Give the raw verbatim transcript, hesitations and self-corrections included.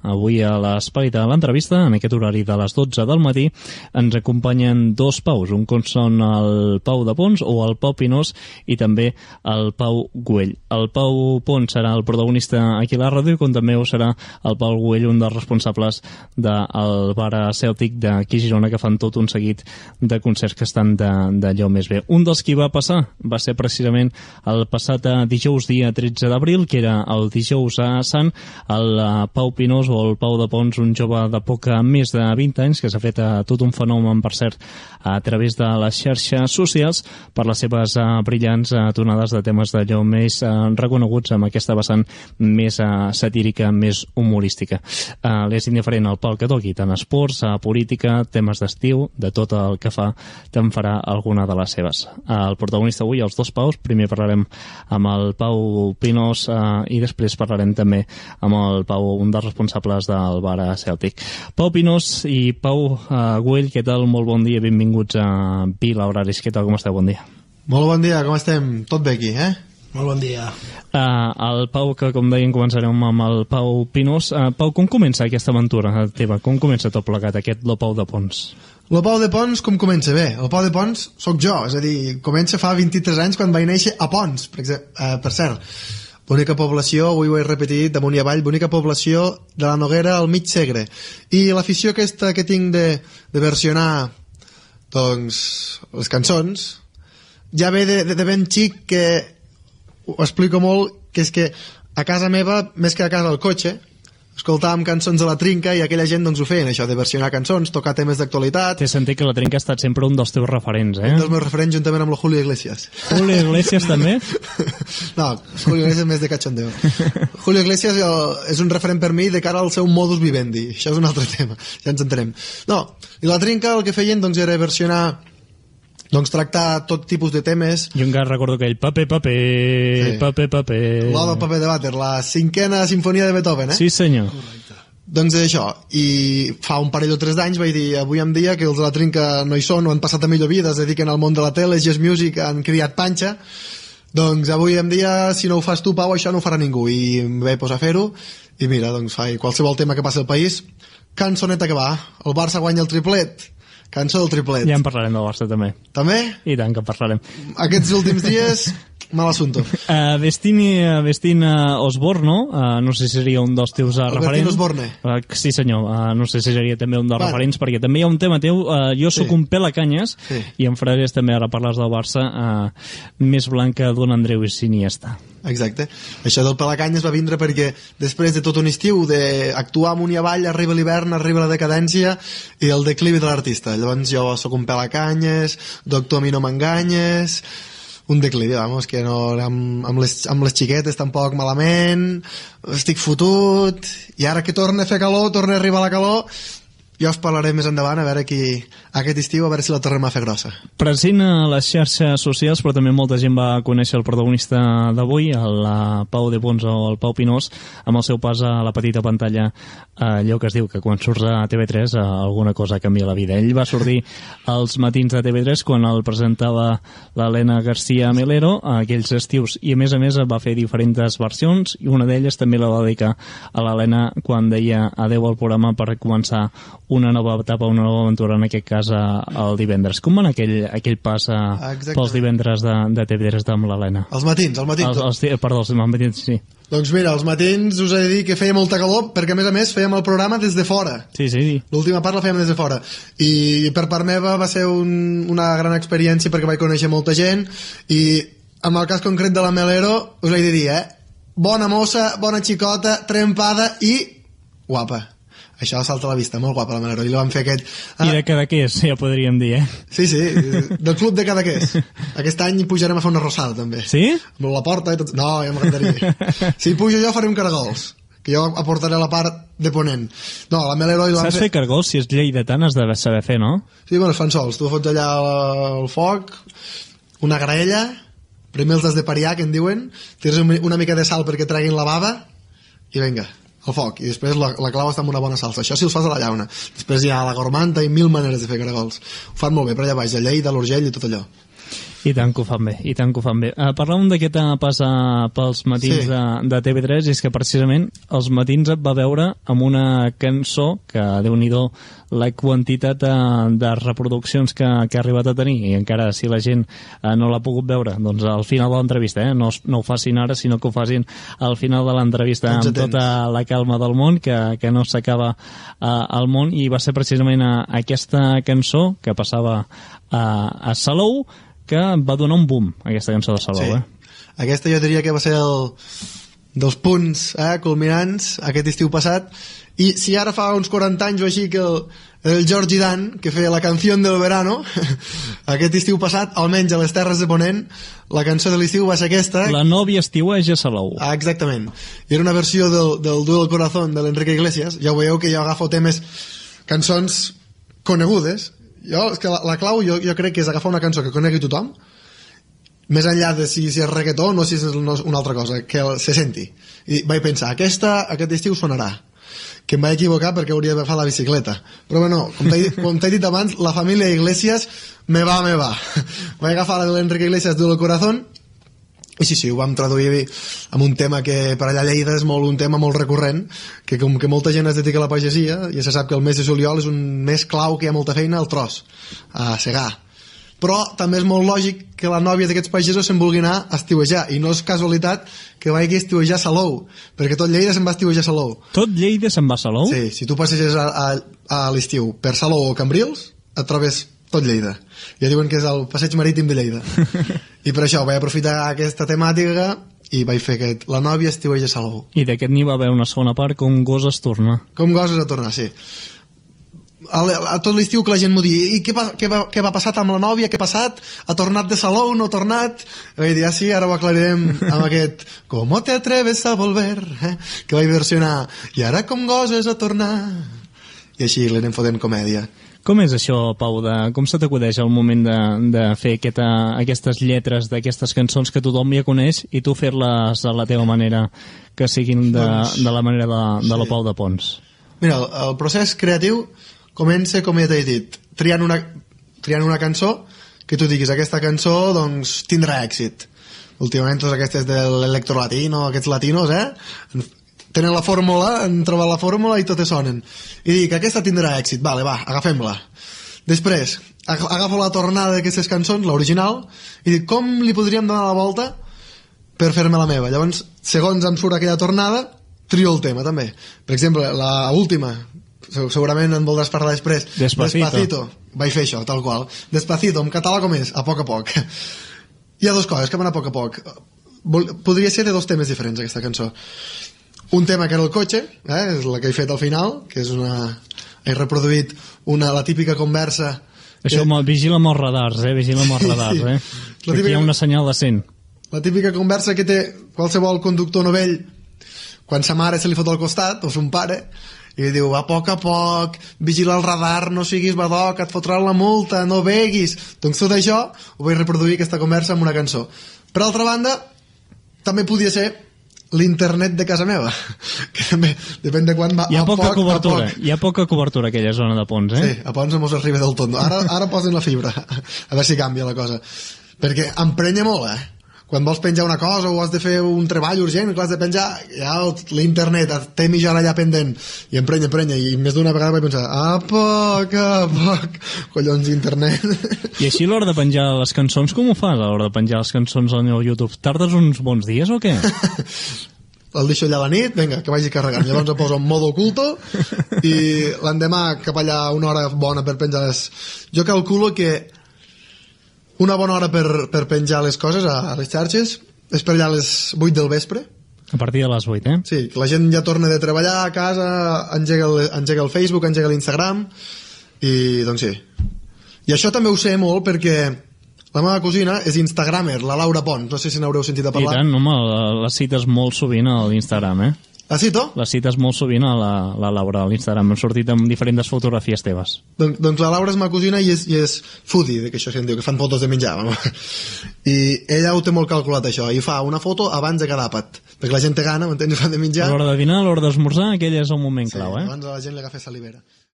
Avui a l'espai de l'entrevista, en aquest horari de les dotze del matí, ens acompanyen dos Paus, un com són el Pau de Pons o el Pau Pinós i també el Pau Güell. El Pau Pons serà el protagonista aquí a la ràdio, com també ho serà el Pau Güell, un dels responsables del bar Cèltic d'aquí a Girona, que fan tot un seguit de concerts que estan d'allò més bé. Un dels qui va passar va ser precisament el passat dijous dia tretze d'abril, que era el dijous a Sant. El Pau Pinós o el Pau de Pons, un jove de poc més de vint anys, que s'ha fet a tot un fenomen, per cert, a través de les xarxes socials per les seves uh, brillants uh, tonades de temes d'allò més uh, reconeguts, amb aquesta vessant més uh, satírica, més humorística. Uh, L'és indiferent al pal que toqui, tant esports, uh, política, temes d'estiu, de tot el que fa, te'n farà alguna de les seves. Uh, el protagonista avui, els dos Paus, primer parlarem amb el Pau Pinós uh, i després parlarem també amb el Pau, un dels responsables del bar Cèltic. Pau Pinós i Pau uh, Güell, què tal? Molt bon dia, benvinguts a Vila Horaris. Què tal, com esteu? Bon dia. Molt bon dia, com estem? Tot bé aquí, eh? Molt bon dia. Uh, el Pau, que com deien, començarem amb el Pau Pinós. Uh, Pau, com comença aquesta aventura teva? Com comença tot plegat, aquest Lo Pau de Pons? Lo Pau de Pons, com comença? Bé, el Pau de Pons sóc jo, és a dir, comença fa vint-i-tres anys quan vaig néixer a Pons, per, exemple, uh, per cert. Bonica població, avui ho he repetit, damunt i avall, bonica població de la Noguera al mig Segre. I l'afició aquesta que tinc de, de versionar, doncs, les cançons, ja ve de, de, de ben xic, que ho explico molt, que és que a casa meva, més que a casa al cotxe, escoltàvem cançons de la Trinca i aquella gent doncs ho feien, això de versionar cançons, tocar temes d'actualitat. T'he sentit que la Trinca ha estat sempre un dels teus referents, eh? Un dels meus referents, juntament amb el Julio Iglesias. Julio Iglesias també? No, Julio Iglesias més de cachondeo. Julio Iglesias és un referent per mi de cara al seu modus vivendi. Això és un altre tema, ja ens entenem. No, i la Trinca el que feien doncs era versionar, doncs tractar tot tipus de temes. Jo encara recordo aquell paper, paper, sí. paper, paper... L'Oda al paper de vàter, la cinquena sinfonia de Beethoven, eh? Sí, senyor. Correcte. Doncs és això, i fa un parell o tres d'anys vaig dir, avui en dia que els de la Trinca no hi són, o han passat a millor vida, es dediquen al món de la tele, jazz music, han criat panxa, doncs avui en dia, si no ho fas tu, Pau, això no ho farà ningú, i em vaig posar a fer-ho, i mira, doncs fa qualsevol tema que passi al país, cançoneta que va, el Barça guanya el triplet, cançó del triplet. Ja en parlarem del Barça també. També? I tant que en parlarem. Aquests últims dies, mal assunto. Uh, Destini, uh, Vestina Osborne, uh, no sé si seria un dels teus uh, referents. Osborne. Uh, sí senyor, uh, no sé si seria també un dels bueno. referents, perquè també hi ha un tema teu, uh, jo sóc sí. un pèl a canyes, sí. i en frares també, ara parles del Barça, uh, més blanca d'un Andreu Iniesta. Exacte. Això del Pelacanyes va vindre perquè després de tot un estiu d'actuar amunt i avall, arriba l'hivern, arriba la decadència i el declivi de l'artista. Llavors jo sóc un Pelacanyes, doctor, a mi no m'enganyes, un declivi, vamos, que no, amb, amb, les, amb les xiquetes tampoc malament, estic fotut, i ara que torna a fer calor, torna a arribar la calor, ja us parlaré més endavant, a veure qui aquest estiu, a veure si la tornem a fer grossa. Present a les xarxes socials, però també molta gent va conèixer el protagonista d'avui, el Pau de Pons o el Pau Pinós, amb el seu pas a la petita pantalla, allò que es diu que quan surts a T V tres alguna cosa canvia la vida. Ell va sortir als matins de T V tres quan el presentava l'Helena García Melero, aquells estius, i a més a més va fer diferents versions, i una d'elles també la va dedicar a l'Helena quan deia adeu al programa per començar una nova etapa, una nova aventura, en aquest cas el divendres. Com va anar aquell, aquell pas a, pels divendres de, de T V tres amb l'Helena? Els matins, els matins. Els, els, perdó, els matins, sí. Doncs mira, els matins us he de dir que feia molta calor, perquè a més a més fèiem el programa des de fora. Sí, sí, sí. L'última part la fèiem des de fora. I per part meva va ser un, una gran experiència perquè vaig conèixer molta gent, i en el cas concret de la Melero us he de dir, eh? Bona mossa, bona xicota, trempada i guapa. Això salta a la vista, molt guapa la Melero. I li vam fer aquest... Ah, i de Cadaqués, ja podríem dir, eh? Sí, sí, del club de Cadaqués. Aquest any pujarem a fer una rosada, també. Sí? Amb la porta i tot... No, ja m'agradaria. Si pujo jo faré un caragols, que jo aportaré la part de ponent. No, la Melero... I Saps fer caragols? Si és lleidatà n'has de saber fer, no? Sí, bueno, es fan sols. Tu fots allà al foc, una graella, primer els has de pariar, que en diuen, tires una mica de sal perquè treguin la bava, i vinga, al foc, i després la, la clau està amb una bona salsa. Això si els fas a la llauna. Després hi ha la gormanta i mil maneres de fer caragols. Ho fan molt bé per allà baix, a Lleida, a l'Urgell i tot allò. I tant que ho fan bé, i tant que ho fan bé. Uh, parlàvem de què t'ha passat pels matins sí. de, de T V tres, i és que precisament els matins et va veure amb una cançó que, Déu-n'hi-do, la quantitat de, de reproduccions que, que ha arribat a tenir, i encara si la gent uh, no l'ha pogut veure, doncs al final de l'entrevista, eh? no, no ho facin ara, sinó que ho facin al final de l'entrevista amb tota la calma del món, que, que no s'acaba uh, el món, i va ser precisament a, a aquesta cançó que passava a, a Salou, que va donar un boom, aquesta cançó de Salou. Sí. Eh? Aquesta jo diria que va ser el dels punts eh, culminants aquest estiu passat, i si ara fa uns quaranta anys o així que el, el George Dan, que feia la canció del verano, aquest estiu passat, almenys a les Terres de Ponent, la cançó de l'estiu va ser aquesta. La nòvia estiueja a Salou. Ah, exactament. I era una versió del, del Duel del Corazón de l'Enrique Iglesias. Ja ho veieu que jo agafo temes, cançons conegudes. Jo, és que la, la clau jo, jo crec que és agafar una cançó que conegui tothom, més enllà de si, si és reggaeton o si és una altra cosa, que se senti. I vaig pensar, aquesta aquest estiu sonarà, que em vaig equivocar perquè hauria d'agafar la bicicleta, però bueno, com t'he dit abans, la família Iglesias me va, me va. Vaig agafar la de l'Enrique Iglesias del Corazón, i sí, sí, ho vam traduir amb un tema que per allà a Lleida és molt, un tema molt recurrent, que com que molta gent es dedica a la pagesia, ja se sap que el mes de juliol és un mes clau, que hi ha molta feina al tros, a segar. Però també és molt lògic que la nòvia d'aquests pagesos se'n vulgui anar a estiuejar, i no és casualitat que vagi a estiuejar a Salou, perquè tot Lleida se'n va a estiuejar a Salou. Tot Lleida se'n va a Salou? Sí, si tu passeges a, a, a l'estiu per Salou o Cambrils, et trobes tot Lleida. Ja diuen que és el passeig marítim de Lleida. I per això vaig aprofitar aquesta temàtica i vaig fer aquest, la nòvia estiueja a Salou. I d'aquest n'hi va haver una segona part, com goses tornar. Com goses a tornar, sí. A, a tot l'estiu que la gent m'ho digui, i què va, què, va, què va passar amb la nòvia, què ha passat, ha tornat de Salou, no ha tornat? I vaig dir, ah sí, ara ho aclarirem amb aquest ¿Cómo te atreves a volver? Eh? Que vaig versionar, i ara com goses a tornar? I així l'anem fotent comèdia. Com és això, Pau, de, com se t'acudeix el moment de, de fer aquesta, aquestes lletres d'aquestes cançons que tothom ja coneix i tu fer-les a la teva manera, que siguin de, doncs, de la manera de, de sí. la Pau de Pons? Mira, el, el procés creatiu comença, com ja t'he dit, triant una, triant una cançó que tu diguis, aquesta cançó doncs tindrà èxit. Últimament totes aquestes de l'electrolatino, aquests latinos, eh? Tenen la fórmula, han trobat la fórmula i totes sonen. I dic, aquesta tindrà èxit, vale, va, agafem-la. Després, agafo la tornada d'aquestes cançons, l'original, i dic, com li podríem donar la volta per fer-me la meva? Llavors, segons em surt aquella tornada, trio el tema, també. Per exemple, la última, segurament en voldràs parlar després. Despacito. Despacito. Vaig fer això, tal qual. Despacito, en català com és? A poc a poc. Hi ha dues coses que van a poc a poc. Podria ser de dos temes diferents, aquesta cançó. Un tema que era el cotxe, eh, és la que he fet al final, que és una... he reproduït una, la típica conversa... Això, que... vigila amb els radars, eh? Vigila amb els radars, sí. eh? Típica... Aquí hi ha una senyal de cent. La típica conversa que té qualsevol conductor novell quan sa mare se li fot al costat, o son pare, i li diu, a poc a poc, vigila el radar, no siguis badoc, et fotrà la multa, no beguis. Doncs tot això ho vaig reproduir, aquesta conversa, amb una cançó. Per altra banda, també podia ser l'internet de casa meva, que també depèn de quan va. Hi ha a poca poc, cobertura, a poc. Hi ha poca tot a aquella zona de Pons, eh? Sí, a Pons no mos arriba del tot. Ara, ara posen la fibra, a veure si canvia la cosa. Perquè emprenya molt, eh? Quan vols penjar una cosa o has de fer un treball urgent que l'has de penjar, ja l'internet té mitja hora allà pendent i emprenya, emprenya, i més d'una vegada vaig pensar, a poc, a poc, collons, internet. I així a l'hora de penjar les cançons, com ho fas a l'hora de penjar les cançons al meu YouTube? Tardes uns bons dies o què? El deixo allà a la nit, vinga, que vagi carregant. Llavors em poso en modo oculto i l'endemà cap allà una hora bona per penjar les... Jo calculo que una bona hora per, per penjar les coses a, a les xarxes és per allà a les vuit del vespre. A partir de les vuit, eh? Sí, que la gent ja torna de treballar a casa, engega el, engega el Facebook, engega l'Instagram, i doncs sí. I això també ho sé molt perquè la meva cosina és instagramer, la Laura Pons, no sé si n'haureu sentit a parlar. I tant, home, la cites molt sovint a l'Instagram, eh? La cito? La cites molt sovint a la, la Laura a l'Instagram. Hem sortit amb diferents fotografies teves. Don, doncs la Laura és ma cosina i és, i és foodie, que això se'n diu, que fan fotos de menjar. I ella ho té molt calculat, això, i fa una foto abans de cada àpat, perquè la gent té gana, m'entens, fan de menjar. A l'hora de dinar, a l'hora d'esmorzar, aquell és el moment sí, clau, eh? Abans a la gent li agafa salivera.